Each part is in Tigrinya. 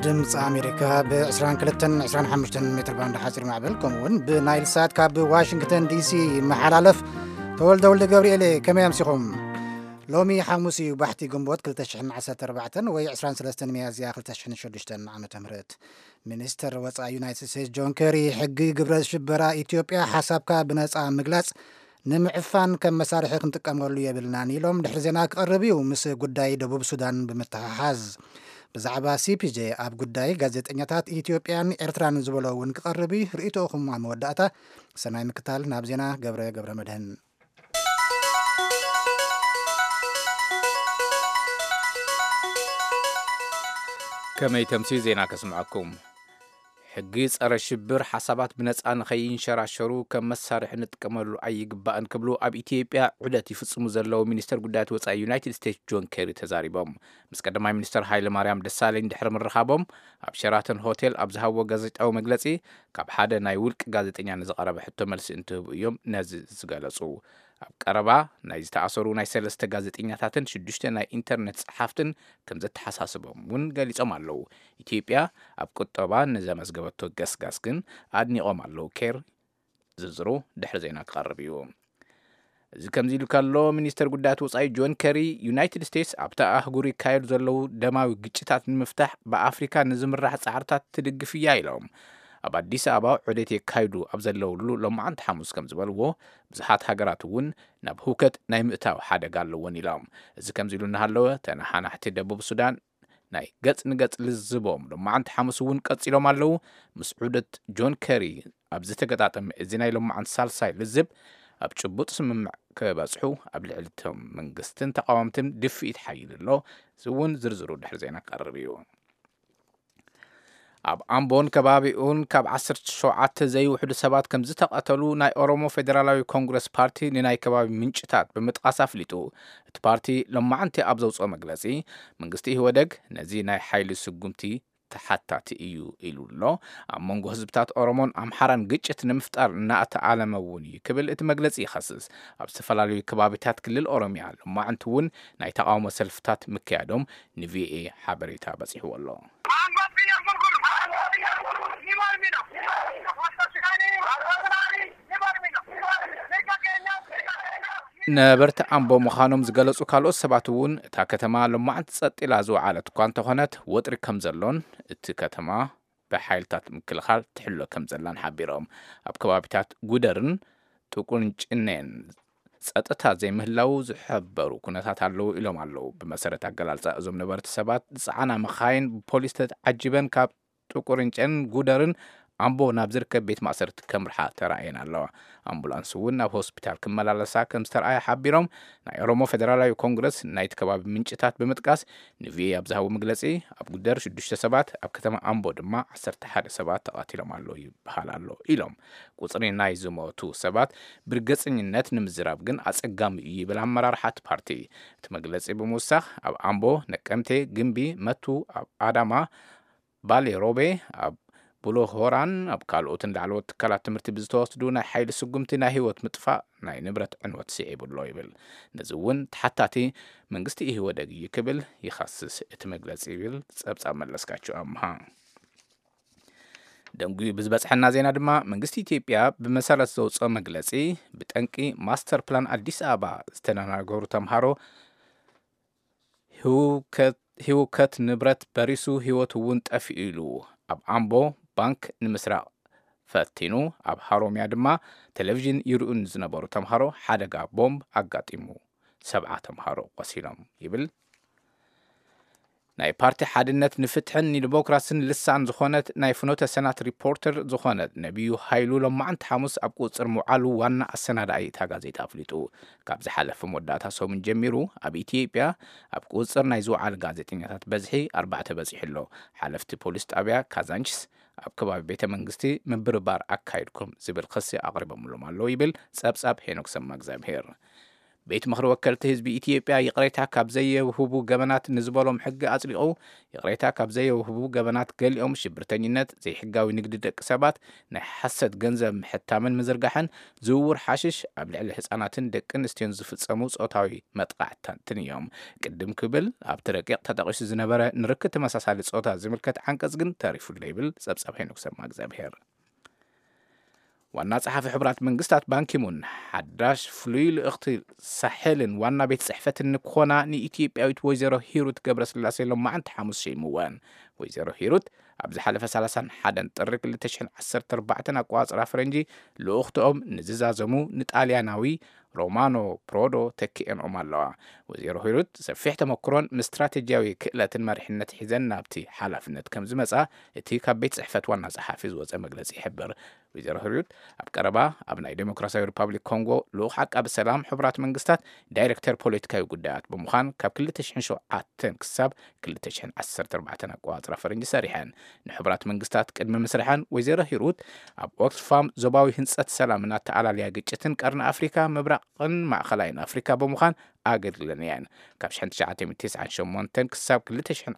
ድምፂ ኣሜሪካ ብ22 25 ሜትር ባንድ ሓፂር ማዕበል፣ ከምኡ እውን ብናይል ሳት ካብ ዋሽንግተን ዲሲ ይመሓላለፍ። ተወልደ ወልደ ገብርኤል፣ ከመይ ኣምሲኹም? ሎሚ ሓሙስ እዩ፣ ባሕቲ ግንቦት ክልተ ሽሕን ዓሰርተ ኣርባዕተን ወይ ዕስራን ሰለስተን ሚያዝያ ክልተ ሽሕን ሽዱሽተን ዓመተ ምህረት። ሚኒስተር ወፃኢ ዩናይትድ ስቴትስ ጆን ኬሪ፣ ሕጊ ግብረ ሽበራ ኢትዮጵያ ሓሳብካ ብነፃ ምግላፅ ንምዕፋን ከም መሳርሒ ክንጥቀመሉ የብልናን ኢሎም። ድሕሪ ዜና ክቐርብ እዩ፣ ምስ ጉዳይ ደቡብ ሱዳን ብምትሕሓዝ። ብዛዕባ ሲ ፒ ጄ ኣብ ጉዳይ ጋዜጠኛታት ኢትዮጵያን ኤርትራን ዝበሎ እውን ክቐርብ እዩ። ርእይቶኹም ኣብ መወዳእታ። ሰናይ ምክታል። ናብ ዜና ገብረ ገብረ መድህን። ከመይ ተምሲ ዜና ከስምዐኩም። ሕጊ ጸረ ሽብር ሓሳባት ብነጻ ንኸይንሸራሸሩ ከም መሳርሒ ንጥቀመሉ ኣይግባእን ክብሉ ኣብ ኢትዮጵያ ዑደት ይፍጽሙ ዘለዉ ሚኒስተር ጉዳያት ወጻኢ ዩናይትድ ስቴትስ ጆን ኬሪ ተዛሪቦም። ምስ ቀዳማይ ሚኒስተር ሃይለ ማርያም ደሳለኝ ድሕሪ ምርኻቦም ኣብ ሸራተን ሆቴል ኣብ ዝሃብዎ ጋዜጣዊ መግለጺ፣ ካብ ሓደ ናይ ውልቂ ጋዜጠኛ ንዝቐረበ ሕቶ መልሲ እንትህቡ እዮም ነዚ ዝገለጹ። ኣብ ቀረባ ናይ ዝተኣሰሩ ናይ ሰለስተ ጋዜጠኛታትን ሽዱሽተ ናይ ኢንተርነት ጸሓፍትን ከም ዘተሓሳስቦም እውን ገሊጾም ኣለዉ። ኢትዮጵያ ኣብ ቁጠባ ንዘመዝገበቶ ገስጋስ ግን ኣድኒቖም ኣለዉ። ኬር ዝርዝሩ ድሕሪ ዜና ክቐርብ እዩ። እዚ ከምዚ ኢሉ ከሎ፣ ሚኒስተር ጉዳያት ወጻኢ ጆን ኬሪ፣ ዩናይትድ ስቴትስ ኣብታ ኣህጉር ይካየዱ ዘለዉ ደማዊ ግጭታት ንምፍታሕ ብኣፍሪካ ንዝምራሕ ጻዕርታት ትድግፍ እያ ኢሎም። ኣብ ኣዲስ ኣበባ ዑደት የካይዱ ኣብ ዘለውሉ ሎማዓንቲ ሓሙስ ከም ዝበልዎ፣ ብዙሓት ሃገራት እውን ናብ ህውከት ናይ ምእታው ሓደጋ ኣለወን ኢሎም። እዚ ከምዚ ኢሉ እናሃለወ፣ ተነሓናሕቲ ደቡብ ሱዳን ናይ ገጽ ንገጽ ልዝቦም ሎማዓንቲ ሓሙስ እውን ቀጺሎም ኣለዉ። ምስ ዑደት ጆን ኬሪ ኣብ ዝተገጣጠመ እዚ ናይ ሎማዓንቲ ሳልሳይ ልዝብ፣ ኣብ ጭቡጥ ስምምዕ ክበጽሑ ኣብ ልዕሊ እቶም መንግስትን ተቃወምትን ድፍኢት ሓይል ኣሎ። እዚ እውን ዝርዝሩ ድሕሪ ዜና ክቐርብ እዩ። ኣብ ኣምቦን ከባቢኡን ካብ ዓሰርተ ሸውዓተ ዘይውሕዱ ሰባት ከም ዝተቐተሉ ናይ ኦሮሞ ፌደራላዊ ኮንግረስ ፓርቲ ንናይ ከባቢ ምንጭታት ብምጥቃስ ኣፍሊጡ። እቲ ፓርቲ ሎማዓንቲ ኣብ ዘውፅኦ መግለፂ፣ መንግስቲ ኢህወደግ ነዚ ናይ ሓይሊ ስጉምቲ ተሓታቲ እዩ ኢሉ ኣሎ። ኣብ መንጎ ህዝብታት ኦሮሞን ኣምሓራን ግጭት ንምፍጣር እናተኣለመ እውን እዩ ክብል እቲ መግለፂ ይኸስስ። ኣብ ዝተፈላለዩ ከባቢታት ክልል ኦሮሚያ ሎማዓንቲ እውን ናይ ተቃውሞ ሰልፍታት ምክያዶም ንቪኦኤ ሓበሬታ በፂሕዎ ኣሎ። ነበርቲ ኣምቦ ምዃኖም ዝገለጹ ካልኦት ሰባት እውን፣ እታ ከተማ ሎማዓንቲ ጸጥ ኢላ ዝወዓለት እኳ እንተኾነት፣ ወጥሪ ከም ዘሎን እቲ ከተማ ብሓይልታት ምክልኻል ትሕሎ ከም ዘላን ሓቢሮም። ኣብ ከባቢታት ጉደርን ጥቁንጭኔን ጸጥታ ዘይምህላው ዝሕበሩ ኩነታት ኣለዉ ኢሎም ኣለዉ። ብመሰረት ኣገላልጻ እዞም ነበርቲ ሰባት፣ ዝጸዓና መኻይን ብፖሊስ ተዓጂበን ካብ ጥቁርንጨን ጉደርን ኣምቦ ናብ ዝርከብ ቤት ማእሰርቲ ከምርሓ ተራእየን ኣለዋ። ኣምቡላንስ እውን ናብ ሆስፒታል ክመላለሳ ከም ዝተረኣየ ሓቢሮም፣ ናይ ኦሮሞ ፌደራላዊ ኮንግረስ ናይቲ ከባቢ ምንጭታት ብምጥቃስ ንቪኦኤ ኣብ ዝሃቦ መግለጺ፣ ኣብ ጉደር ሽዱሽተ ሰባት፣ ኣብ ከተማ ኣምቦ ድማ ዓሰርተ ሓደ ሰባት ተቐቲሎም ኣለዉ ይበሃል ኣሎ ኢሎም። ቁጽሪ ናይ ዝሞቱ ሰባት ብርግጸኝነት ንምዝራብ ግን ኣጸጋሚ እዩ ይብል ኣመራርሓ እቲ ፓርቲ። እቲ መግለጺ ብምውሳኽ፣ ኣብ ኣምቦ፣ ነቀምቴ፣ ግምቢ፣ መቱ፣ ኣብ ኣዳማ፣ ባሌ ሮቤ፣ ኣብ ቡሎ ሆራን ኣብ ካልኦትን ላዕለዎት ትካላት ትምህርቲ ብዝተወስዱ ናይ ሓይሊ ስጉምቲ ናይ ህይወት ምጥፋእ፣ ናይ ንብረት ዕንወት ስዒቡ ኣሎ ይብል። ነዚ እውን ተሓታቲ መንግስቲ ኢህወደግ እዩ ክብል ይኸስስ እቲ መግለጺ ይብል ጸብጻብ መለስካቸው ኣምሃ። ደንጉዩ ብዝበጽሐና ዜና ድማ፣ መንግስቲ ኢትዮጵያ ብመሰረት ዘውፅኦ መግለጺ፣ ብጠንቂ ማስተር ፕላን ኣዲስ ኣበባ ዝተደናገሩ ተምሃሮ ህውከት፣ ህውከት ንብረት በሪሱ ህይወት እውን ጠፊኡ ኢሉ። ኣብ ኣምቦ ባንክ ንምስራቕ ፈቲኑ፣ ኣብ ሃሮሚያ ድማ ቴሌቪዥን ይርእዩ ንዝነበሩ ተምሃሮ ሓደጋ ቦምብ ኣጋጢሙ ሰብዓ ተምሃሮ ቆሲሎም ይብል። ናይ ፓርቲ ሓድነት ንፍትሕን ንዲሞክራስን ልሳን ዝኾነት ናይ ፍኖተ ሰናት ሪፖርተር ዝኾነት ነቢዩ ሃይሉ ሎማዓንቲ ሓሙስ ኣብ ቁፅር ምውዓሉ ዋና ኣሰናዳኢ እታ ጋዜጣ ኣፍሊጡ። ካብ ዝሓለፈ መወዳእታ ሰሙን ጀሚሩ ኣብ ኢትዮጵያ ኣብ ቁፅር ናይ ዝወዓሉ ጋዜጠኛታት በዝሒ ኣርባዕተ በፂሑ ኣሎ። ሓለፍቲ ፖሊስ ጣብያ ካዛንችስ ኣብ ከባቢ ቤተ መንግስቲ ምብርባር ኣካይድኩም ዝብል ክሲ ኣቕሪቦምሎም ኣለዉ ይብል ጸብጻብ ሄኖክ ሰማእግዚኣብሄር። ቤት ምኽሪ ወከልቲ ህዝቢ ኢትዮጵያ ይቕሬታ ካብ ዘየውህቡ ገበናት ንዝበሎም ሕጊ ኣጽዲቑ። ይቕሬታ ካብ ዘየውህቡ ገበናት ገሊኦም ሽብርተኝነት፣ ዘይሕጋዊ ንግዲ ደቂ ሰባት፣ ናይ ሓሰት ገንዘብ ምሕታምን ምዝርጋሕን፣ ዝውውር ሓሽሽ፣ ኣብ ልዕሊ ህጻናትን ደቂ ኣንስትዮን ዝፍጸሙ ጾታዊ መጥቃዕታትን እዮም። ቅድም ክብል ኣብቲ ረቂቕ ተጠቒሱ ዝነበረ ንርክብ ተመሳሳሊ ጾታ ዝምልከት ዓንቀጽ ግን ተሪፉ ኣሎ ይብል ጸብጻብ ሄኖክ ሰማ እግዚኣብሔር። ዋና ጸሓፊ ሕቡራት መንግስታት ባንኪሙን፣ ሓዳሽ ፍሉይ ልእኽቲ ሳሕልን ዋና ቤት ጽሕፈትን ንክኾና ንኢትዮጵያዊት ወይዘሮ ሂሩት ገብረስላሴ ሎማዓንቲ ሓሙስ ሸይምወን። ወይዘሮ ሂሩት ኣብ ዝሓለፈ ሰላሳን ሓደን ጥሪ ክልተ ሽሕን ዓሰርተ ኣርባዕተን ኣቆጻጽራ ፈረንጂ ልኡኽትኦም ንዝዛዘሙ ንጣልያናዊ ሮማኖ ፕሮዶ ተኪኤንኦም ኣለዋ። ወይዘሮ ሂሩት ሰፊሕ ተመክሮን ምስ ስትራቴጂያዊ ክእለትን መሪሕነት ሒዘን ናብቲ ሓላፍነት ከም ዝመጻ እቲ ካብ ቤት ጽሕፈት ዋና ጸሓፊ ዝወጸ መግለጺ ይሕብር። ወይዘሮ ሂሩት ኣብ ቀረባ ኣብ ናይ ዴሞክራሲያዊ ሪፓብሊክ ኮንጎ ልኡኽ ዓቃቢ ሰላም ሕቡራት መንግስታት ዳይሬክተር ፖለቲካዊ ጉዳያት ብምዃን ካብ ክልተ ሽሕን ሸውዓተን ክሳብ ክልተ ሽሕን ዓሰርተ ኣርባዕተን ኣቆጻጽራ ፈረንጂ ሰሪሐን። ንሕቡራት መንግስታት ቅድሚ ምስርሐን ወይዘሮ ሂሩት ኣብ ኦክስፋም ዞባዊ ህንጸት ሰላምን ኣተኣላልያ ግጭትን ቀርኒ ኣፍሪካ፣ ምብራቕን ማእኸላይን ኣፍሪካ ብምዃን ኣገልግለን እየን። ካብ ሽሕን ትሽዓተ ሚእትን ተስዓን ሸሞንተን ክሳብ ክልተ ሽሕን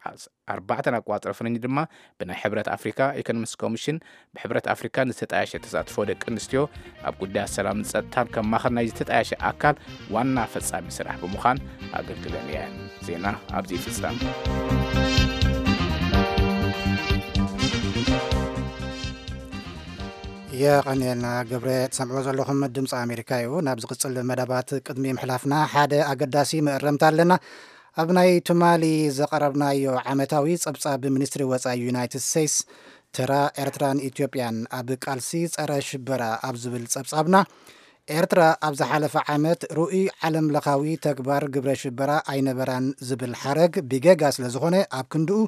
ኣርባዕተን ኣቆጻጽራ ፈረንጂ ድማ ብናይ ሕብረት ኣፍሪካ ኢኮኖሚክስ ኮሚሽን ብሕብረት ኣፍሪካ ንዝተጣየሸ ተሳትፎ ደቂ ኣንስትዮ ኣብ ጉዳያት ሰላምን ጸጥታን ከም ማእኸል ናይ ዝተጣየሸ ኣካል ዋና ፈጻሚ ስራሕ ብምዃን ኣገልግለን እየን። ዜና ኣብዚ ይፍጸም። የቐንየልና ገብረ። ትሰምዕዎ ዘለኹም ድምፂ ኣሜሪካ እዩ። ናብ ዝቕፅል መደባት ቅድሚ ምሕላፍና ሓደ ኣገዳሲ መእረምታ ኣለና። ኣብ ናይ ትማሊ ዘቐረብናዮ ዓመታዊ ጸብጻብ ሚኒስትሪ ወጻኢ ዩናይትድ ስቴትስ፣ ተራ ኤርትራን ኢትዮጵያን ኣብ ቃልሲ ጸረ ሽበራ ኣብ ዝብል ጸብጻብና፣ ኤርትራ ኣብ ዝሓለፈ ዓመት ርኡይ ዓለም ለኻዊ ተግባር ግብረ ሽበራ ኣይነበራን ዝብል ሓረግ ብጌጋ ስለ ዝኾነ፣ ኣብ ክንድኡ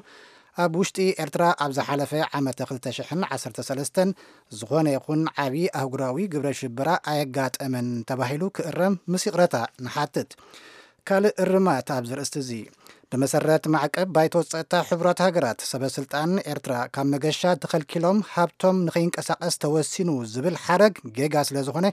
ኣብ ውሽጢ ኤርትራ ኣብ ዝሓለፈ ዓመተ ክልተ ሽሕን ዓሰርተ ሰለስተን ዝኾነ ይኹን ዓቢ ኣህጉራዊ ግብረ ሽበራ ኣየጋጠመን ተባሂሉ ክእረም ምስ ይቕረታ ንሓትት። ካልእ እርማት ኣብዚ ርእስቲ እዚ፣ ብመሰረት ማዕቀብ ባይቶ ጸጥታ ሕቡራት ሃገራት፣ ሰበ ስልጣን ኤርትራ ካብ መገሻ ተኸልኪሎም ሃብቶም ንኸይንቀሳቐስ ተወሲኑ ዝብል ሓረግ ጌጋ ስለ ዝኾነ፣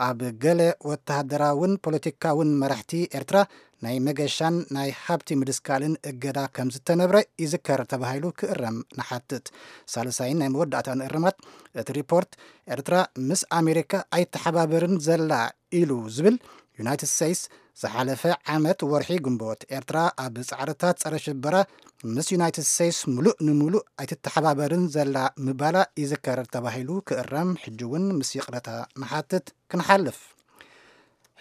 ኣብ ገለ ወተሃደራውን ፖለቲካውን መራሕቲ ኤርትራ ናይ መገሻን ናይ ሃብቲ ምድስካልን እገዳ ከም ዝተነብረ ይዝከር ተባሂሉ ክእረም ንሓትት። ሳልሳይን ናይ መወዳእታን እርማት፣ እቲ ሪፖርት ኤርትራ ምስ ኣሜሪካ ኣይተሓባበርን ዘላ ኢሉ ዝብል፣ ዩናይትድ ስቴትስ ዝሓለፈ ዓመት ወርሒ ግንቦት ኤርትራ ኣብ ጻዕርታት ጸረ ሽበራ ምስ ዩናይትድ ስቴትስ ምሉእ ንምሉእ ኣይትተሓባበርን ዘላ ምባላ ይዝከር ተባሂሉ ክእረም፣ ሕጂ እውን ምስ ይቕረታ ንሓትት። ክንሓልፍ፣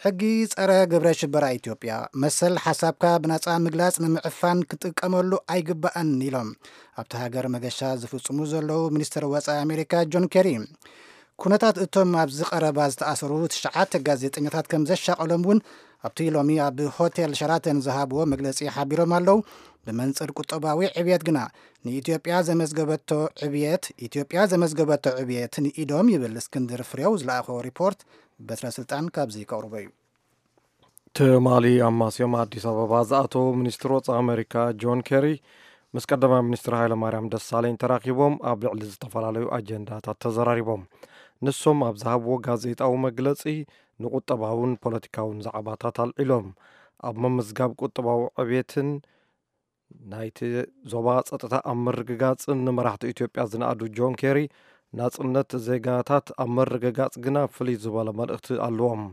ሕጊ ጸረ ግብረ ሽበራ ኢትዮጵያ መሰል ሓሳብካ ብነጻ ምግላጽ ንምዕፋን ክጥቀመሉ ኣይግባእን ኢሎም ኣብቲ ሃገር መገሻ ዝፍጽሙ ዘለዉ ሚኒስትር ወጻኢ ኣሜሪካ ጆን ኬሪ። ኩነታት እቶም ኣብዚ ቀረባ ዝተኣሰሩ ትሽዓተ ጋዜጠኛታት ከም ዘሻቐሎም እውን ኣብቲ ሎሚ ኣብ ሆቴል ሸራተን ዝሃብዎ መግለጺ ሓቢሮም ኣለዉ። ብመንጽር ቁጠባዊ ዕብየት ግና ንኢትዮጵያ ዘመዝገበቶ ዕብየት፣ ኢትዮጵያ ዘመዝገበቶ ዕብየት ንኢዶም ይብል እስክንድር ፍሬው ዝለኣኾ ሪፖርት በትረ ስልጣን ካብዚ ከቕርቦ እዩ። ትማሊ ኣብ ማስዮም ኣዲስ ኣበባ ዝኣተዉ ሚኒስትር ወጻኢ ኣሜሪካ ጆን ኬሪ ምስ ቀዳማይ ሚኒስትር ሃይለማርያም ደሳለኝ ተራኺቦም ኣብ ልዕሊ ዝተፈላለዩ ኣጀንዳታት ተዘራሪቦም። ንሶም ኣብ ዝሃብዎ ጋዜጣዊ መግለጺ ንቁጠባውን ፖለቲካውን ዛዕባታት ኣልዒሎም። ኣብ ምምዝጋብ ቁጠባዊ ዕብየትን ናይቲ ዞባ ጸጥታ ኣብ ምርግጋጽን ንመራሕቲ ኢትዮጵያ ዝነኣዱ ጆን ኬሪ፣ ናጽነት ዜጋታት ኣብ ምርግጋጽ ግና ፍልይ ዝበለ መልእኽቲ ኣለዎም።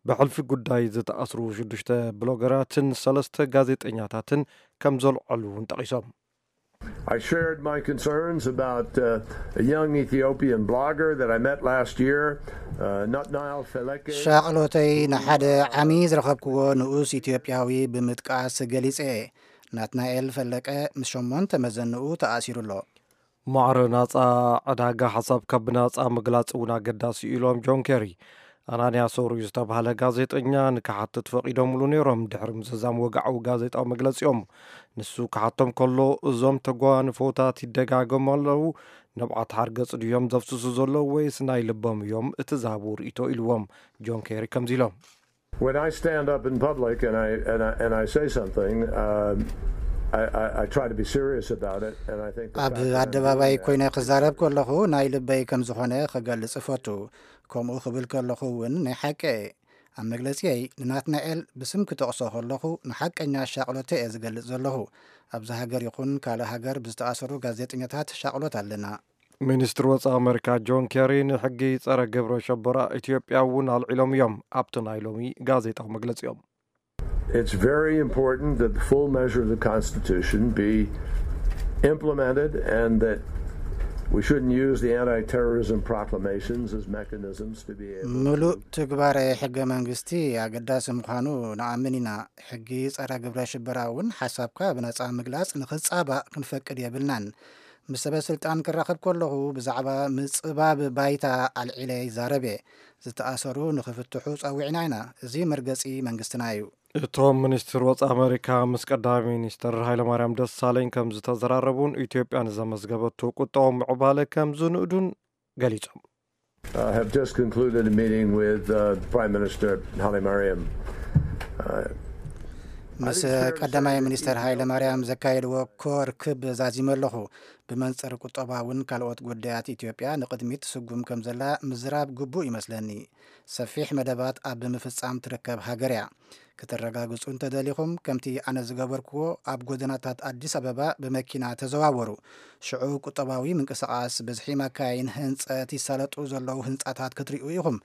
ብሕልፊ ጉዳይ ዝተኣስሩ ሽዱሽተ ብሎገራትን ሰለስተ ጋዜጠኛታትን ከም ዘልዐሉ እውን ጠቒሶም። I shared my concerns about uh, a young Ethiopian blogger that I met last year, uh, Natnael Feleke. ሻቕሎተይ ንሓደ ዓሚ ዝረኸብክዎ ንኡስ ኢትዮጵያዊ ብምጥቃስ ገሊጸ። ናትናኤል ፈለቀ ምስ ሸሞንተ መዘንኡ ተኣሲሩ ኣሎ። ማዕረ ናጻ ዕዳጋ ሓሳብካ ብናጻ ምግላጽ እውን ኣገዳሲ እዩ ኢሎም ጆን ኬሪ። ኣናንያ ሶሩ ዝተባህለ ጋዜጠኛ ንክሓትት ፈቒዶምሉ ነይሮም ድሕሪ ምዝዛም ወግዓዊ ጋዜጣዊ መግለጺኦም። ንሱ ክሓቶም ከሎ፣ እዞም ተጓንፎታት ይደጋገሙ ኣለዉ፣ ንብዓት ሓርገጽ ድዮም ዘፍስሱ ዘለዉ ወይስ ናይ ልቦም እዮም? እቲ ዝሃብዎ ርእይቶ ኢልዎም። ጆን ኬሪ ከምዚ ኢሎም። When I stand up in public and I, and I, and I say something, uh, I, I, I try to be serious about it, and I think the ኣብ fact that I'm ኣደባባይ doing ኮይነ that ክዛረብ ከለኹ ናይ ልበይ ከም ዝኾነ ክገልጽ እፈቱ። ከምኡ ክብል ከለኹ እውን ናይ ሓቂ እየ። ኣብ መግለጺየይ ንናትናኤል ብስም ክጠቕሶ ከለኹ ንሓቀኛ ሻቕሎተይ እየ ዝገልጽ ዘለኹ። ኣብዚ ሃገር ይኹን ካልእ ሃገር ብዝተኣሰሩ ጋዜጠኛታት ሻቕሎት ኣለና። ሚኒስትሪ ወጻኢ ኣመሪካ ጆን ኬሪ ንሕጊ ጸረ ግብረ ሸበራ ኢትዮጵያ እውን ኣልዒሎም እዮም ኣብቲ ናይ ሎሚ ጋዜጣዊ መግለጺኦም። It's very important that the full measure of the Constitution be implemented and that we shouldn't use the anti-terrorism proclamations as mechanisms to be able ምሉእ ትግባረ ሕገ መንግስቲ ኣገዳሲ ምዃኑ ንኣምን ኢና። ሕጊ ጸረ ግብረ ሽበራ እውን ሓሳብካ ብነጻ ምግላጽ ንኽጻባእ ክንፈቅድ የብልናን። ምስ ሰበ ስልጣን ክራኸብ ከለኹ ብዛዕባ ምጽባብ ባይታ ኣልዒለ ይዛረብ እየ። ዝተኣሰሩ ንኽፍትሑ ጸዊዕና ኢና። እዚ መርገጺ መንግስትና እዩ። እቶም ሚኒስትር ወጻኢ ኣመሪካ ምስ ቀዳማይ ሚኒስትር ሃይለማርያም ደሳለኝ ከም ዝተዘራረቡን ኢትዮጵያ ንዘመዝገበቶ ቁጠባዊ ምዕባለ ከም ዝንእዱን ገሊጾም። Uh, have just concluded a meeting with uh, Prime Minister Hailemariam. Uh, ምስ ቀዳማይ ሚኒስትር ሃይለ ማርያም ዘካየድዎ ኮር ክብ ዛዚመ ኣለኹ። ብመንፅር ቁጠባውን ካልኦት ጉዳያት ኢትዮጵያ ንቕድሚት ትስጉም ከም ዘላ ምዝራብ ግቡእ ይመስለኒ። ሰፊሕ መደባት ኣብ ምፍጻም ትርከብ ሃገር እያ። ከተረጋግጹ እንተደሊኹም፣ ከምቲ ኣነ ዝገበርክዎ ኣብ ጎደናታት ኣዲስ ኣበባ ብመኪና ተዘዋወሩ። ሽዑ ቁጠባዊ ምንቅስቓስ፣ ብዝሒ መካይን፣ ህንጸት፣ ይሳለጡ ዘለዉ ህንጻታት ክትሪኡ ኢኹም።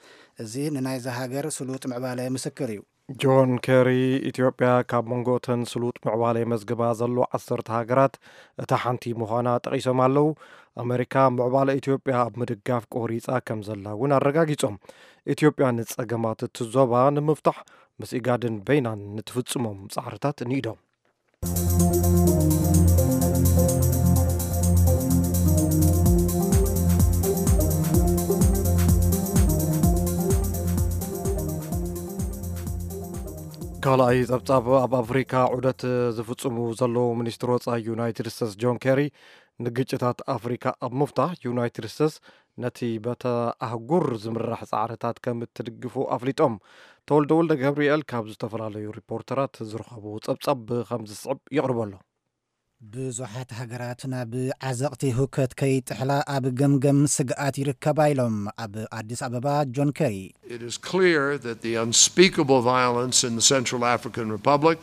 እዚ ንናይዛ ሃገር ስሉጥ ምዕባለ ምስክር እዩ። ጆን ኬሪ፣ ኢትዮጵያ ካብ መንጎ እተን ስሉጥ ምዕባለ የመዝግባ ዘሎ ዓሰርተ ሃገራት እታ ሓንቲ ምዃና ጠቒሶም ኣለዉ። ኣመሪካ ምዕባለ ኢትዮጵያ ኣብ ምድጋፍ ቆሪጻ ከም ዘላ እውን ኣረጋጊጾም። ኢትዮጵያ ንጸገማት እቲ ዞባ ንምፍታሕ ምስ ኢጋድን በይናን ንትፍጽሞም ጻዕርታት ንኢዶም። ካልኣይ ጸብጻብ፣ ኣብ ኣፍሪካ ዑደት ዝፍጽሙ ዘለዉ ሚኒስትር ወጻኢ ዩናይትድ ስቴትስ ጆን ኬሪ፣ ንግጭታት ኣፍሪካ ኣብ ምፍታሕ ዩናይትድ ስቴትስ ነቲ በተ ኣህጉር ዝምራሕ ጻዕርታት ከም እትድግፉ ኣፍሊጦም። ተወልደ ወልደ ገብርኤል ካብ ዝተፈላለዩ ሪፖርተራት ዝረኸቦ ጸብጻብ ከም ዝስዕብ የቕርበሎ። ብዙሓት ሃገራት ናብ ዓዘቕቲ ህውከት ከይጥሕላ ኣብ ገምገም ስግኣት ይርከባ ኢሎም ኣብ ኣዲስ ኣበባ ጆን ኬሪ። It is clear that the unspeakable violence in the Central African Republic,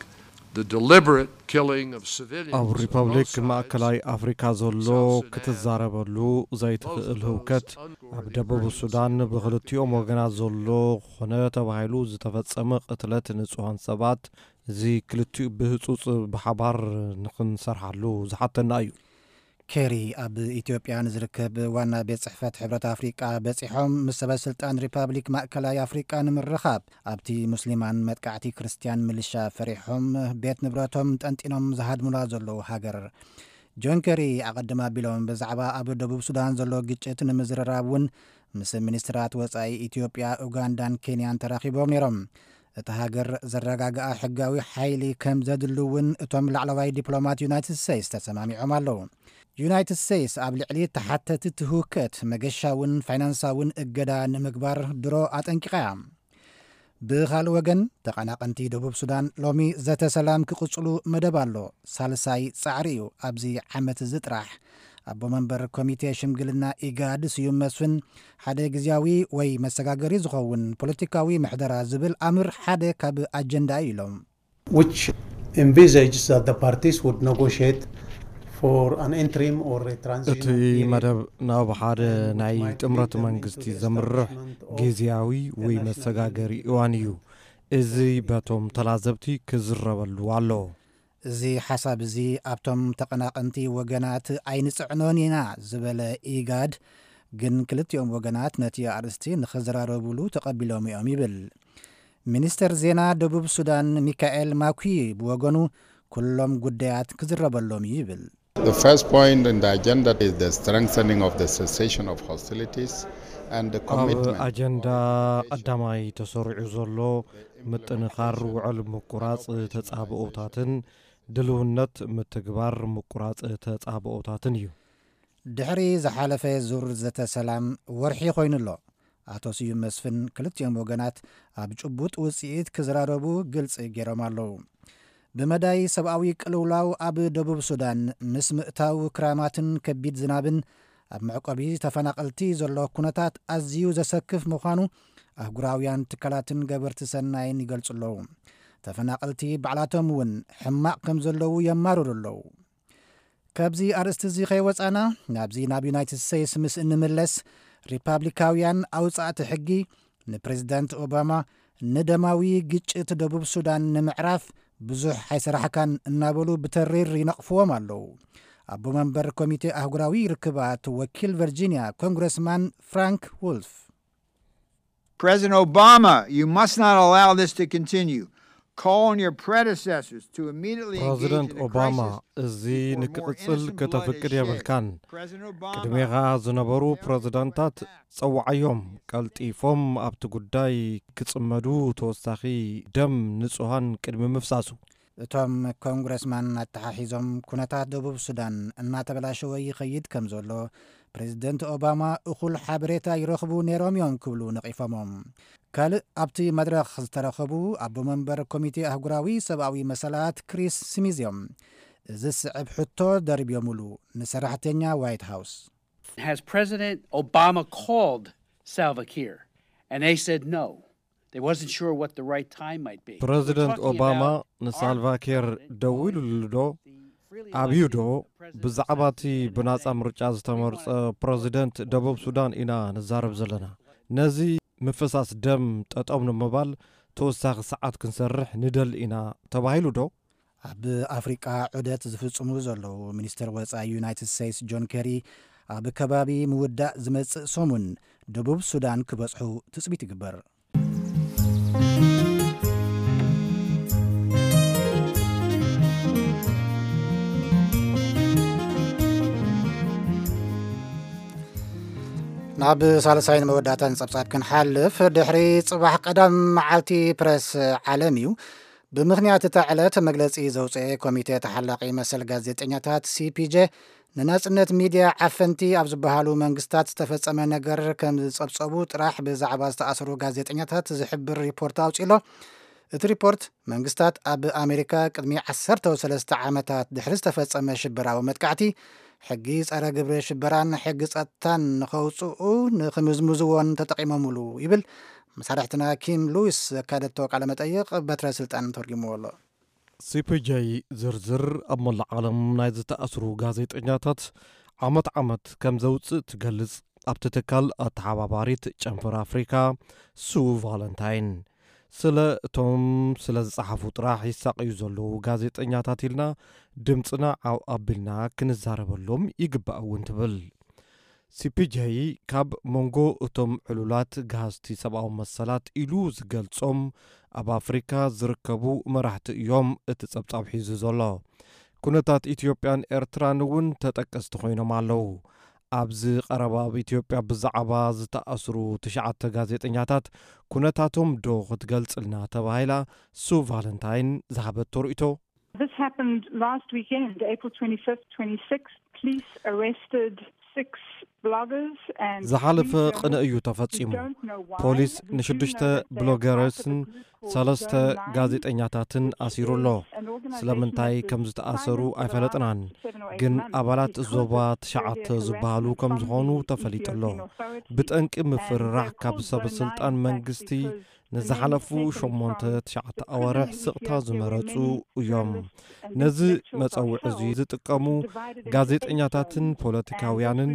the deliberate killing of civilians, ኣብ ሪፐብሊክ ማእከላይ ኣፍሪካ ዘሎ ክትዛረበሉ ዘይትኽእል ህውከት ኣብ ደቡብ ሱዳን ብክልቲኦም ወገናት ዘሎ ኮነ ተባሂሉ ዝተፈጸመ ቅትለት ንጹሃን ሰባት፣ እዚ ክልቲኡ ብህጹጽ ብሓባር ንኽንሰርሓሉ ዝሓተና እዩ። ኬሪ ኣብ ኢትዮጵያ ንዝርከብ ዋና ቤት ጽሕፈት ሕብረት ኣፍሪቃ በጺሖም ምስ ሰበ ስልጣን ሪፓብሊክ ማእከላይ ኣፍሪቃ ንምርኻብ ኣብቲ ሙስሊማን መጥቃዕቲ ክርስትያን ምልሻ ፈሪሖም ቤት ንብረቶም ጠንጢኖም ዝሃድሙላ ዘለዉ ሃገር። ጆን ኬሪ ኣቐድም ኣቢሎም ብዛዕባ ኣብ ደቡብ ሱዳን ዘሎ ግጭት ንምዝርራብ እውን ምስ ሚኒስትራት ወጻኢ ኢትዮጵያ፣ ኡጋንዳን ኬንያን ተራኺቦም ነይሮም። እታ ሃገር ዘረጋግኣ ሕጋዊ ሓይሊ ከም ዘድሊ እውን እቶም ላዕለዋይ ዲፕሎማት ዩናይትድ ስቴትስ ተሰማሚዖም ኣለዉ። ዩናይትድ ስቴትስ ኣብ ልዕሊ ተሓተቲ ትህውከት መገሻውን ፋይናንሳውን እገዳ ንምግባር ድሮ ኣጠንቂቓ እያ። ብኻልእ ወገን፣ ተቐናቐንቲ ደቡብ ሱዳን ሎሚ ዘተ ሰላም ክቕጽሉ መደብ ኣሎ። ሳልሳይ ጻዕሪ እዩ ኣብዚ ዓመት እዚ ጥራሕ። ኣቦ መንበር ኮሚቴ ሽምግልና ኢጋድ ስዩም መስፍን፣ ሓደ ግዝያዊ ወይ መሰጋገሪ ዝኸውን ፖለቲካዊ ምሕደራ ዝብል ኣምር ሓደ ካብ ኣጀንዳ እዩ ኢሎም። Which envisages that the parties would negotiate for an interim or a እቲ transitional period መደብ ናብ ሓደ ናይ ጥምረት መንግስቲ ዘምርሕ ግዝያዊ ወይ መሰጋገሪ እዋን እዩ። እዚ በቶም ተላዘብቲ ክዝረበሉ ኣለዎ። እዚ ሓሳብ እዚ ኣብቶም ተቐናቐንቲ ወገናት ኣይንጽዕኖን ኢና ዝበለ ኢጋድ፣ ግን ክልቲኦም ወገናት ነቲ ኣርእስቲ ንኽዘራረቡሉ ተቐቢሎም እዮም ይብል። ሚኒስተር ዜና ደቡብ ሱዳን ሚካኤል ማኩይ ብወገኑ፣ ኩሎም ጉዳያት ክዝረበሎም እዩ ይብል። The first point in the agenda is the strengthening of the cessation of hostilities and the ኣብ commitment ኣጀንዳ ቀዳማይ ተሰሪዑ ዘሎ ምጥንኻር ውዕል ምቁራፅ ተፃብኦታትን ድልውነት ምትግባር ምቁራፅ ተፃብኦታትን እዩ። ድሕሪ ዝሓለፈ ዙር ዘተ ሰላም ወርሒ ኮይኑ ኣሎ። ኣቶ ስዩም መስፍን ክልቲኦም ወገናት ኣብ ጭቡጥ ውፅኢት ክዘራረቡ ግልፂ ገይሮም ኣለዉ። ብመዳይ ሰብኣዊ ቅልውላው ኣብ ደቡብ ሱዳን ምስ ምእታው ክራማትን ከቢድ ዝናብን ኣብ መዕቆቢ ተፈናቐልቲ ዘሎ ኩነታት ኣዝዩ ዘሰክፍ ምዃኑ ኣህጉራውያን ትካላትን ገበርቲ ሰናይን ይገልጹ ኣለዉ። ተፈናቐልቲ ባዕላቶም እውን ሕማቕ ከም ዘለዉ የማርሩ ኣለዉ። ካብዚ ኣርእስቲ እዚ ከይወጻና፣ ናብዚ ናብ ዩናይትድ ስቴትስ ምስ እንምለስ፣ ሪፓብሊካውያን ኣውጻእቲ ሕጊ ንፕሬዚዳንት ኦባማ ንደማዊ ግጭት ደቡብ ሱዳን ንምዕራፍ ብዙሕ ኣይሰራሕካን እናበሉ ብተሪር ይነቕፍዎም ኣለዉ። ኣቦ መንበር ኮሚቴ ኣህጉራዊ ርክባት ወኪል ቨርጂኒያ ኮንግረስማን ፍራንክ ውልፍ፣ President Obama, you must not allow this to continue. Call on your predecessors to immediately engage ፕረዚደንት in the ኦባማ crisis እዚ before more ንክቕጽል innocent blood is ከተፍቅድ shed. የብልካን። President Obama, ቅድሜኻ ዝነበሩ ፕረዚደንታት ጸውዓዮም፣ ቀልጢፎም ኣብቲ ጉዳይ ክጽመዱ፣ ተወሳኺ ደም ንጹሃን ቅድሚ ምፍሳሱ። እቶም ኮንግረስማን ኣተሓሒዞም፣ ኩነታት ደቡብ ሱዳን እናተበላሸወ ይኸይድ ከም ዘሎ ፕሬዚደንት ኦባማ እኹል ሓበሬታ ይረኽቡ ነይሮም እዮም ክብሉ ነቒፎሞም። ካልእ ኣብቲ መድረኽ ዝተረኸቡ ኣቦ መንበር ኮሚቴ ኣህጉራዊ ሰብኣዊ መሰላት ክሪስ ስሚዝ እዮም። እዚ ዝስዕብ ሕቶ ደርብዮምሉ ንሰራሕተኛ ዋይት ሃውስ። Has President Obama called Salva Kiir? And they said no. They wasn't sure what the right time might be. ፕረዚደንት ኦባማ ንሳልቫኪር ደዊሉሉ ዶ ኣብዩ ዶ? ብዛዕባ እቲ ብናጻ ምርጫ ዝተመርጸ ፕረዚደንት ደቡብ ሱዳን ኢና ንዛረብ ዘለና። ነዚ ምፍሳስ ደም ጠጠው ንምባል ተወሳኺ ሰዓት ክንሰርሕ ንደሊ ኢና ተባሂሉ ዶ? ኣብ ኣፍሪቃ ዑደት ዝፍጽሙ ዘለዉ ሚኒስትር ወጻኢ ዩናይትድ ስቴትስ ጆን ኬሪ ኣብ ከባቢ ምውዳእ ዝመጽእ ሰሙን ደቡብ ሱዳን ክበጽሑ ትጽቢት ይግበር። ናብ ሳልሳይን መወዳእታን ጸብጻብ ክንሓልፍ፣ ድሕሪ ጽባሕ ቀዳም መዓልቲ ፕረስ ዓለም እዩ። ብምኽንያት እታ ዕለት መግለጺ ዘውፅኤ ኮሚቴ ተሓላቒ መሰል ጋዜጠኛታት ሲፒጄ፣ ንናጽነት ሚድያ ዓፈንቲ ኣብ ዝበሃሉ መንግስታት ዝተፈጸመ ነገር ከም ዝጸብጸቡ ጥራሕ ብዛዕባ ዝተኣሰሩ ጋዜጠኛታት ዝሕብር ሪፖርት ኣውጺእሎ። እቲ ሪፖርት መንግስታት ኣብ ኣሜሪካ ቅድሚ ዓሰርተ ሰለስተ ዓመታት ድሕሪ ዝተፈጸመ ሽበራዊ መጥቃዕቲ ሕጊ ጸረ ግብረ ሽበራን ሕጊ ጸጥታን ንኸውፅኡ ንክምዝምዝዎን ተጠቂሞምሉ ይብል። መሳርሕትና ኪም ሉዊስ ዘካደቶ ቃለ መጠይቕ በትረ ስልጣን ተርጉምዎ ኣሎ። ሲፒጄ ዝርዝር ኣብ መላእ ዓለም ናይ ዝተኣስሩ ጋዜጠኛታት ዓመት ዓመት ከም ዘውፅእ ትገልጽ ኣብቲ ትካል ኣተሓባባሪት ጨንፈር ኣፍሪካ ሱ ቫለንታይን፣ ስለ እቶም ስለ ዝጸሓፉ ጥራሕ ይሳቐዩ ዘለዉ ጋዜጠኛታት ኢልና ድምፅና ዓው ኣቢልና ክንዛረበሎም ይግባእ እውን ትብል። ሲፒጄ ካብ መንጎ እቶም ዕሉላት ጋህዝቲ ሰብኣዊ መሰላት ኢሉ ዝገልጾም ኣብ ኣፍሪካ ዝርከቡ መራሕቲ እዮም እቲ ጸብጻብ ሒዙ ዘሎ። ኩነታት ኢትዮጵያን ኤርትራን እውን ተጠቀስቲ ኮይኖም ኣለዉ። ኣብዚ ቀረባ ኣብ ኢትዮጵያ ብዛዕባ ዝተኣስሩ ትሽዓተ ጋዜጠኛታት ኩነታቶም ዶ ክትገልጽልና ተባሂላ ሱ ቫለንታይን ዝሃበቶ ርእይቶ። This happened last weekend, April twenty-fifth, twenty-sixth. Police arrested six bloggers and ዝሓለፈ ቅነ እዩ ተፈጺሙ። ፖሊስ ንሽዱሽተ ብሎገርስን ሰለስተ ጋዜጠኛታትን ኣሲሩ ኣሎ። ስለምንታይ ከም ዝተኣሰሩ ኣይፈለጥናን፣ ግን ኣባላት ዞባ ትሽዓተ ዝበሃሉ ከም ዝኾኑ ተፈሊጡ ኣሎ። ብጠንቂ ምፍርራሕ ካብ ሰብ ስልጣን መንግስቲ ንዝሓለፉ ሸሞንተ ትሽዓተ ኣዋርሕ ስቕታ ዝመረጹ እዮም። ነዚ መጸውዒ እዚ ዝጥቀሙ ጋዜጠኛታትን ፖለቲካውያንን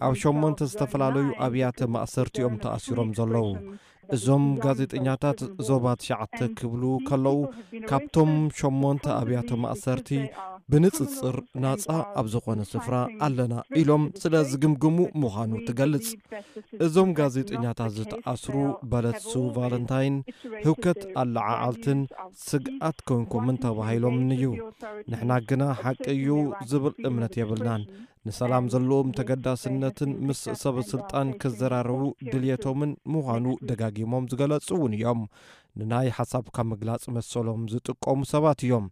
ኣብ ሸሞንተ ዝተፈላለዩ ኣብያተ ማእሰርቲ እዮም ተኣሲሮም ዘለዉ። እዞም ጋዜጠኛታት ዞባ ትሽዓተ ክብሉ ከለዉ፣ ካብቶም ሸሞንተ ኣብያተ ማእሰርቲ ብንጽጽር ናጻ ኣብ ዝኾነ ስፍራ ኣለና ኢሎም ስለ ዝግምግሙ ምዃኑ ትገልጽ። እዞም ጋዜጠኛታት ዝተኣስሩ በለት ሱ ቫለንታይን ህውከት ኣለዓዓልትን ስግኣት ኮንኩምን ተባሂሎምን እዩ። ንሕና ግና ሓቂ እዩ ዝብል እምነት የብልናን። ንሰላም ዘለዎም ተገዳስነትን ምስ ሰበ ስልጣን ክዘራረቡ ድልየቶምን ምዃኑ ደጋጊሞም ዝገለጹ እውን እዮም። ንናይ ሓሳብካ ምግላጽ መሰሎም ዝጥቀሙ ሰባት እዮም።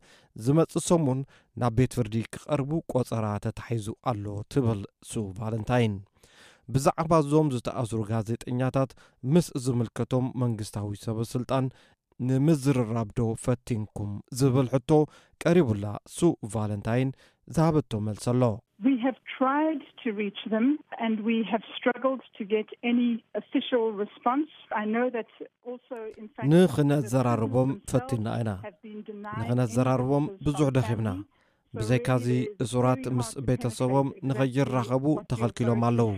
ዝመጽእ ሰሙን ናብ ቤት ፍርዲ ክቐርቡ ቆጸራ ተታሒዙ ኣሎ ትብል ሱ ቫለንታይን። ብዛዕባ እዞም ዝተኣስሩ ጋዜጠኛታት ምስ ዝምልከቶም መንግስታዊ ሰበ ስልጣን ንምዝርራብ ዶ ፈቲንኩም ዝብል ሕቶ ቀሪቡላ ሱ ቫለንታይን ዝሃበቶ መልሲ ኣሎ። We have tried to reach them, and we have struggled to get any official response. I know that also, in fact, ንኽነዘራርቦም ፈቲና ኢና። ንኽነዘራርቦም ብዙሕ ደኺምና። ብዘይካዚ እሱራት ምስ ቤተሰቦም ንኸይራኸቡ ተኸልኪሎም ኣለዉ።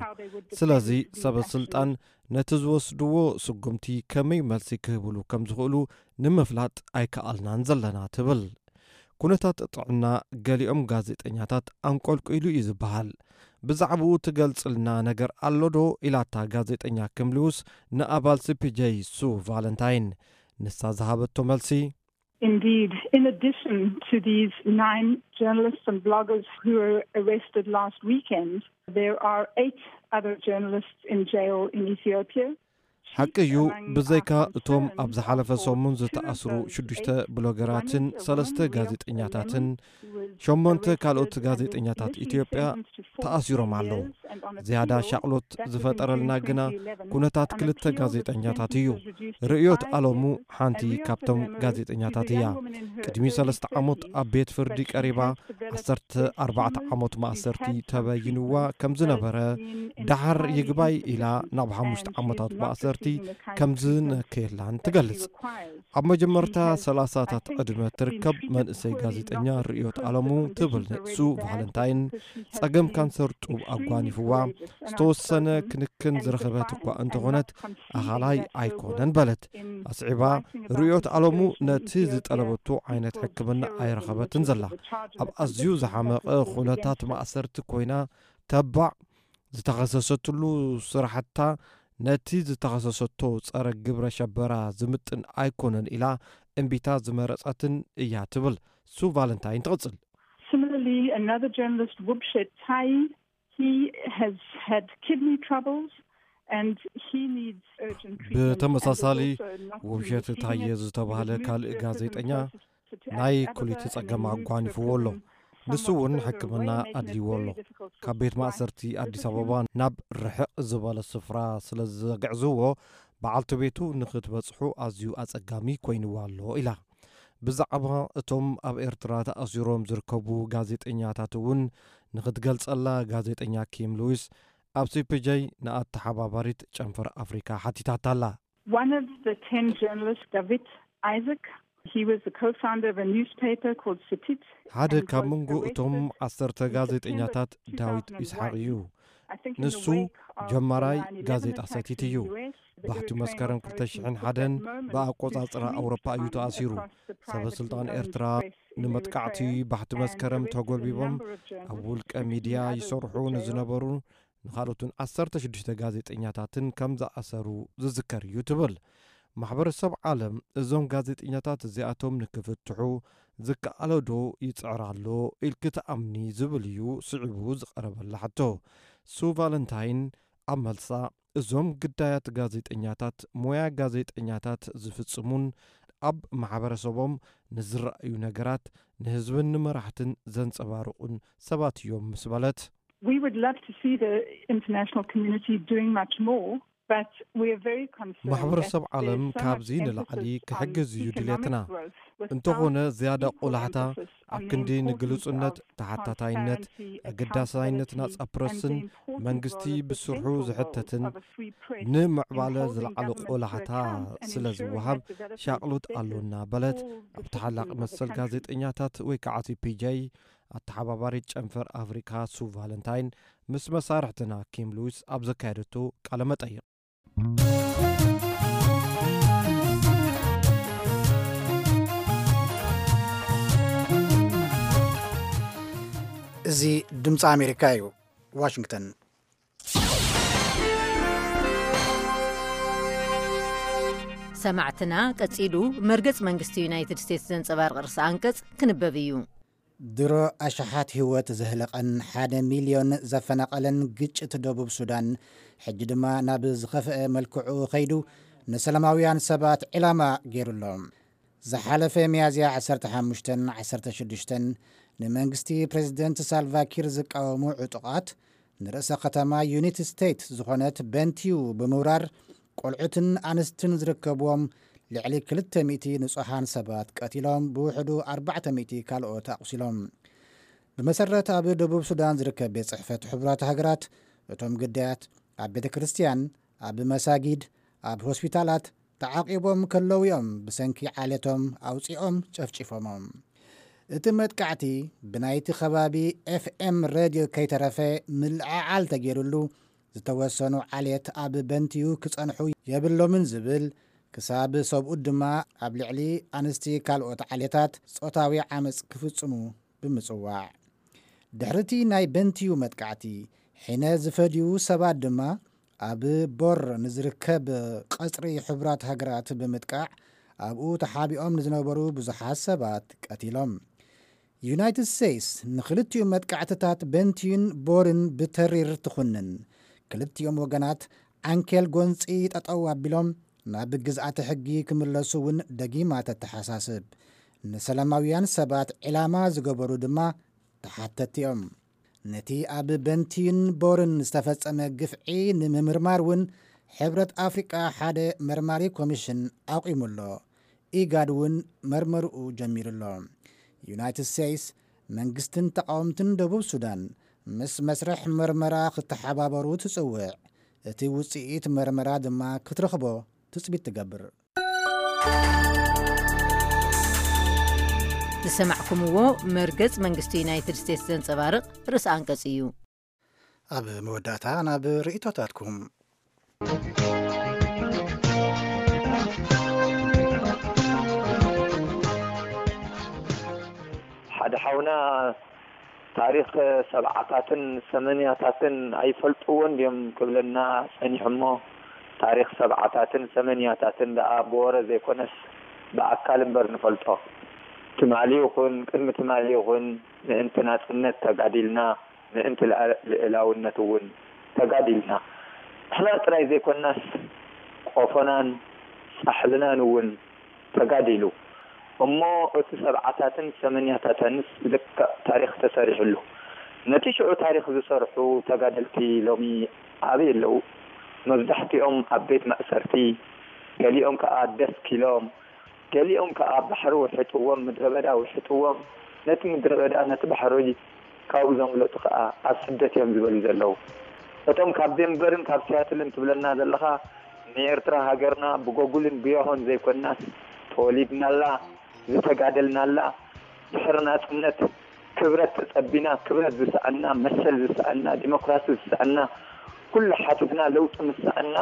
ስለዚ ሰበ ስልጣን ነቲ ዝወስድዎ ስጉምቲ ከመይ መልሲ ክህብሉ ከም ዝኽእሉ ንምፍላጥ ኣይከኣልናን ዘለና ትብል። ኩነታት ጥዕና ገሊኦም ጋዜጠኛታት ኣንቆልቂሉ እዩ ዝበሃል። ብዛዕባኡ ትገልጽልና ነገር ኣሎ ዶ? ኢላታ ጋዜጠኛ ኪም ሉዊስ ንኣባል ሲ ፒ ጄ ሱ ቫለንታይን። ንሳ ዝሃበቶ መልሲ፣ Indeed, in addition to these nine journalists and bloggers who were arrested last weekend, there are eight other journalists in jail in Ethiopia. ሓቂ እዩ። ብዘይካ እቶም ኣብ ዝሓለፈ ሰሙን ዝተኣስሩ ሽዱሽተ ብሎገራትን ሰለስተ ጋዜጠኛታትን ሸሞንተ ካልኦት ጋዜጠኛታት ኢትዮጵያ ተኣሲሮም ኣለዉ። ዝያዳ ሻቕሎት ዝፈጠረልና ግና ኩነታት ክልተ ጋዜጠኛታት እዩ። ርእዮት ኣለሙ ሓንቲ ካብቶም ጋዜጠኛታት እያ። ቅድሚ ሰለስተ ዓመት ኣብ ቤት ፍርዲ ቀሪባ ዓሰርተ ኣርባዕተ ዓመት ማእሰርቲ ተበይንዋ ከም ዝነበረ፣ ደሓር ይግባይ ኢላ ናብ ሓሙሽተ ዓመታት ማእሰርቲ ከም ዝነከየላን ትገልጽ። ኣብ መጀመርታ ሰላሳታት ዕድመ ትርከብ መንእሰይ ጋዜጠኛ ርእዮት ኣለሙ ትብል ሱ ቫለንታይን፣ ጸገም ካንሰር ጡብ ኣጓኒፍዋ፣ ዝተወሰነ ክንክን ዝረኸበት እኳ እንተኾነት ኣኻላይ ኣይኮነን በለት። ኣስዒባ፣ ርእዮት ኣለሙ ነቲ ዝጠለበቶ ዓይነት ሕክምና ኣይረኸበትን ዘላ። ኣብ ኣዝዩ ዝሓመቐ ኩነታት ማእሰርቲ ኮይና ተባዕ ዝተኸሰሰትሉ ስራሕታ ነቲ ዝተኸሰሰቶ ጸረ ግብረ ሸበራ ዝምጥን ኣይኮነን ኢላ እምቢታ ዝመረጸትን እያ ትብል ሱ ቫለንታይን ትቕጽል። Similarly, another journalist, Wubshet Tai, he has had kidney troubles and he needs urgent treatment. ብተመሳሳሊ ውብሸት ታየ ዝተባህለ ካልእ ጋዜጠኛ ናይ ኩሊት ጸገም ኣጓኒፍዎ ኣሎ። ንሱ እውን ሕክምና ኣድልይዎ ኣሎ። ካብ ቤት ማእሰርቲ ኣዲስ ኣበባ ናብ ርሕቕ ዝበለ ስፍራ ስለ ዘግዕዝዎ፣ በዓልቲ ቤቱ ንኽትበጽሑ ኣዝዩ ኣጸጋሚ ኮይንዋ ኣሎ ኢላ። ብዛዕባ እቶም ኣብ ኤርትራ ተኣሲሮም ዝርከቡ ጋዜጠኛታት እውን ንኽትገልጸላ ጋዜጠኛ ኪም ሉዊስ ኣብ ሲ ፒ ጄ ንኣተሓባባሪት ጨንፈር ኣፍሪካ ሓቲታታ ኣላ። One of the ten journalists, David Isaac, he was the co-founder of a newspaper called Sitit. ሓደ ካብ መንጎ እቶም ዓሰርተ ጋዜጠኛታት ዳዊት ይስሓቕ እዩ። ንሱ ጀማራይ ጋዜጣ ሰቲት እዩ። ባሕቲ መስከረም ክልተ ሽሕን ሓደን ብኣቆጻጽራ ኣውሮፓ እዩ ተኣሲሩ። ሰበ ስልጣን ኤርትራ ንመጥቃዕቲ ባሕቲ መስከረም ተጎልቢቦም ኣብ ውልቀ ሚድያ ይሰርሑ ንዝነበሩ ንኻልኦትን ዓሰርተ ሽዱሽተ ጋዜጠኛታትን ከም ዝኣሰሩ ዝዝከር እዩ ትብል። ማሕበረሰብ ዓለም እዞም ጋዜጠኛታት እዚኣቶም ንክፍትሑ ዝከኣሎ ዶ ይጽዕር ኣሎ ኢልኪ ትኣምኒ ዝብል እዩ ስዒቡ ዝቐረበላ ሕቶ። ሱ ቫለንታይን ኣብ መልሳ፣ እዞም ግዳያት ጋዜጠኛታት ሞያ ጋዜጠኛታት ዝፍጽሙን ኣብ ማሕበረሰቦም ንዝረኣዩ ነገራት ንህዝብን ንመራሕትን ዘንጸባርቑን ሰባት እዮም ምስ በለት፣ We would love to see the international community doing much more, but we are very concerned ማሕበረሰብ that ዓለም there's so much ካብዚ emphasis ንላዕሊ on ክሕግዝ እዩ economic ድልየትና። growth without እንተኾነ ዝያዳ equal ቆላሕታ emphasis ኣብ on the ክንዲ importance ንግልጹነት፣ of ተሓታታይነት፣ transparency, ኣገዳሳይነት accountability, ናጻ ፕረስን and the important መንግስቲ role of the ብስርሑ central role ዝሕተትን of a free press ንምዕባለ in holding ዝለዓለ government to ቆላሕታ account and ስለ ensuring ዝወሃብ that development ሻቕሎት is ኣሎና በለት። all the ኣብ ተሓላቂ citizens of the መሰል country. ጋዜጠኛታት ወይ ከዓ ሲ ፒ ጄ ኣተሓባባሪት ጨንፈር ኣፍሪካ ሱ ቫለንታይን ምስ መሳርሕትና ኪም ሉዊስ ኣብ ዘካየደቶ ቃለ መጠይቕ። እዚ ድምፂ ኣሜሪካ እዩ። ዋሽንግተን። ሰማዕትና፣ ቀጺሉ መርገጽ መንግስቲ ዩናይትድ ስቴትስ ዘንጸባርቕ ርእሰ ኣንቀጽ ክንበብ እዩ። ድሮ ኣሽሓት ህይወት ዘህለቐን ሓደ ሚልዮን ዘፈናቐለን ግጭት ደቡብ ሱዳን፣ ሕጂ ድማ ናብ ዝኸፍአ መልክዑ ከይዱ፣ ንሰላማውያን ሰባት ዕላማ ገይሩ ኣሎ። ዝሓለፈ ሚያዝያ ዓሰርተ ሓሙሽተን ዓሰርተ ሽዱሽተን፣ ንመንግስቲ ፕሬዝደንት ሳልቫኪር ዝቃወሙ ዕጡቓት፣ ንርእሰ ከተማ ዩኒትድ ስቴትስ ዝኾነት በንቲዩ ብምውራር፣ ቆልዑትን ኣንስትን ዝርከብዎም ልዕሊ ክልተ ሚእቲ ንጹሃን ሰባት ቀቲሎም፣ ብውሕዱ ኣርባዕተ ሚእቲ ካልኦት ኣቑሲሎም። ብመሰረት ኣብ ደቡብ ሱዳን ዝርከብ ቤት ጽሕፈት ሕቡራት ሃገራት፣ እቶም ግዳያት ኣብ ቤተ ክርስቲያን፣ ኣብ መሳጊድ፣ ኣብ ሆስፒታላት ተዓቂቦም ከለዉ እዮም ብሰንኪ ዓሌቶም ኣውጺኦም ጨፍጪፎሞም። እቲ መጥቃዕቲ ብናይቲ ከባቢ ኤፍኤም ሬድዮ ከይተረፈ ምልዕዓል ተገይሩሉ፣ ዝተወሰኑ ዓሌት ኣብ በንቲዩ ክጸንሑ የብሎምን ዝብል፣ ክሳብ ሰብኡት ድማ ኣብ ልዕሊ ኣንስቲ ካልኦት ዓሌታት ጾታዊ ዓመጽ ክፍጽሙ ብምጽዋዕ። ድሕሪቲ ናይ በንቲዩ መጥቃዕቲ፣ ሒነ ዝፈድዩ ሰባት ድማ ኣብ ቦር ንዝርከብ ቀጽሪ ሕቡራት ሃገራት ብምጥቃዕ፣ ኣብኡ ተሓቢኦም ንዝነበሩ ብዙሓት ሰባት ቀቲሎም። ዩናይትድ ስቴትስ ንኽልቲኡ መጥቃዕትታት በንቲዩን ቦርን ብተሪር ትኹንን። ክልቲኦም ወገናት ዓንኬል ጎንጺ ጠጠው ኣቢሎም ናብ ግዝኣተ ሕጊ ክምለሱ እውን ደጊማ ተተሓሳስብ። ንሰላማውያን ሰባት ዒላማ ዝገበሩ ድማ ተሓተትቲ እዮም። ነቲ ኣብ በንቲዩን ቦርን ዝተፈጸመ ግፍዒ ንምምርማር እውን ሕብረት ኣፍሪቃ ሓደ መርማሪ ኮሚሽን ኣቑሙ ኣሎ። ኢጋድ እውን መርመርኡ ጀሚሩ ኣሎ። ዩናይትድ ስቴትስ መንግስትን ተቃወምትን ደቡብ ሱዳን ምስ መስርሕ መርመራ ክተሓባበሩ ትጽውዕ። እቲ ውጽኢት መርመራ ድማ ክትረኽቦ ትጽቢት ትገብር። ዝሰማዕኩምዎ መርገጽ መንግስቲ ዩናይትድ ስቴትስ ዘንጸባርቕ ርእሲ ኣንቀጽ እዩ። ኣብ መወዳእታ ናብ ርእይቶታትኩም። ሓደ ሓውና ታሪኽ ሰብዓታትን ሰመንያታትን ኣይፈልጥዎን ድዮም ክብለና ጸኒሑ እሞ፣ ታሪኽ ሰብዓታትን ሰመንያታትን ደኣ ብወረ ዘይኮነስ ብኣካል እምበር ንፈልጦ። ትማሊ ይኹን ቅድሚ ትማሊ ይኹን ምእንቲ ናጽነት ተጋዲልና፣ ምእንቲ ልኣ- ልእላውነት እውን ተጋዲልና። ንሕና ጥራይ ዘይኮናስ ቆፎናን ጻሕልናን እውን ተጋዲሉ። እሞ እቲ ሰብዓታትን ሰመንያታተንስ ልክዕ ታሪኽ ተሰሪሕሉ። ነቲ ሽዑ ታሪኽ ዝሰርሑ ተጋደልቲ ሎሚ ኣበይ ኣለዉ? መብዛሕትኦም ኣብ ቤት ማእሰርቲ፣ ገሊኦም ከኣ ደስኪሎም፣ ገሊኦም ከኣ ባሕሪ ውሕጥዎም፣ ምድረ በዳ ውሕጥዎም፣ ነቲ ምድረ በዳ ነቲ ባሕሪ ካብኡ ዘምለጡ ከኣ ኣብ ስደት እዮም ዝበሉ ዘለዉ። እቶም ካብ ዴንቨርን ካብ ሲያትልን ትብለና ዘለኻ ንኤርትራ ሃገርና ብጎጉልን ብያሆን ዘይኮናስ ተወሊድናላ፣ ዝተጋደልናላ፣ ድሕሪ ናጽነት ክብረት ተጸቢና፣ ክብረት ዝሰኣና፣ መሰል ዝሰኣና፣ ዲሞክራሲ ዝሰኣና፣ ኩሉ ሓቲትና ለውጢ ምስ ሰኣና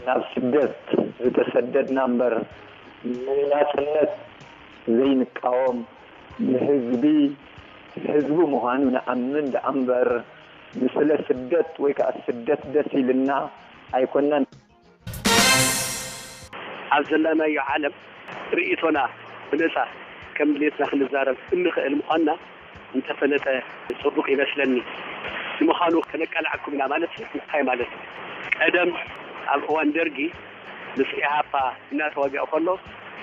ናብ ስደት ዝተሰደድና እምበር ንናጽነት ዘይንቃወም፣ ንህዝቢ ህዝቢ ምዃኑ ንኣምን ደኣ እምበር ንስለ ስደት ወይ ከኣ ስደት ደስ ኢልና ኣይኮናን። ኣብ ዘለናዮ ዓለም ርእይቶና ብነጻ ከም ድሌትና ክንዛረብ እንኽእል ምዃንና እንተፈለጠ ጽቡቕ ይመስለኒ። ንምዃኑ ከነቃልዓኩም ኢና ማለት እንታይ ማለት እዩ? ቀደም ኣብ እዋን ደርጊ ምስ ኢሃፓ እናተዋግአ ከሎ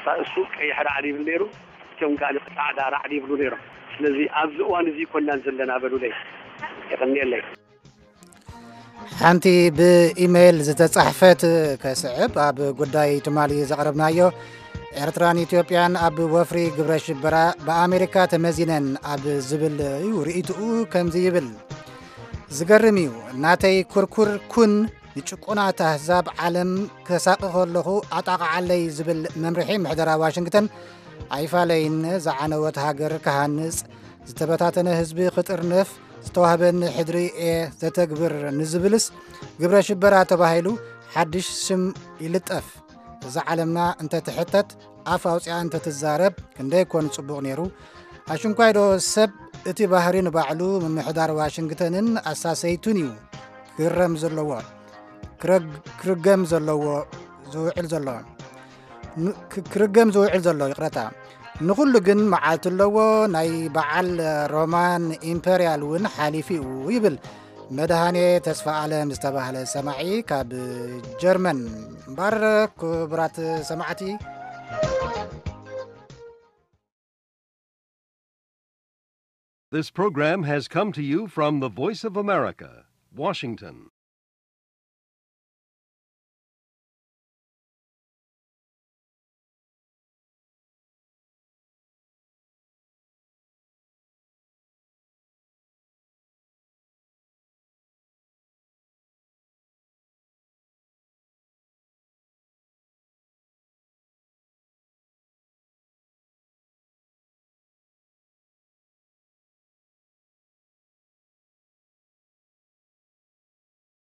ራእሱ ቀይሕ ራዕዲ ይብል ነይሩ፣ እቶም ጋል ጻዕዳ ራዕዲ ይብሉ ነይሮም። ስለዚ ኣብዚ እዋን እዚ ይኮናን ዘለና በሉለይ። የቐንየለይ። ሓንቲ ብኢሜይል ዝተጻሕፈት ከስዕብ ኣብ ጉዳይ ትማሊ ዘቕረብናዮ ኤርትራን ኢትዮጵያን ኣብ ወፍሪ ግብረ ሽበራ ብኣሜሪካ ተመዚነን ኣብ ዝብል እዩ ርእይትኡ ከምዚ ይብል። ዝገርም እዩ ናተይ ኩርኩር ኩን ንጭቁናት ኣህዛብ ዓለም ከሳቂ ከለኹ ኣጣቕዓለይ ዝብል መምርሒ ምሕደራ ዋሽንግተን ኣይፋለይን። ዝዓነወት ሃገር ክሃንጽ ዝተበታተነ ህዝቢ ክጥርንፍ ዝተዋህበኒ ሕድሪ እየ ዘተግብር ንዝብልስ ግብረ ሽበራ ተባሂሉ ሓድሽ ሽም ይልጠፍ። እዛ ዓለምና እንተትሕተት ኣፍ ኣውፅኣ እንተትዛረብ ክንደይ ኮን ፅቡቕ ነይሩ። ኣሽንኳይዶ ሰብ እቲ ባህሪ ንባዕሉ ምምሕዳር ዋሽንግተንን ኣሳሰይቱን እዩ ክግረም ዘለዎ ክረግ- ክርገም ዘለዎ ዝውዕል ዘሎ ን- ክ- ክርገም ዝውዕል ዘሎ ይቕረታ። ንኹሉ ግን መዓልቲ ኣለዎ። ናይ በዓል ሮማን ኢምፐርያል እውን ሓሊፉ እዩ ይብል መድሃኔ ተስፋ ኣለም ዝተባህለ ሰማዒ ካብ ጀርመን። እምበር ክቡራት ሰማዕቲ This program has come to you from the Voice of America, Washington.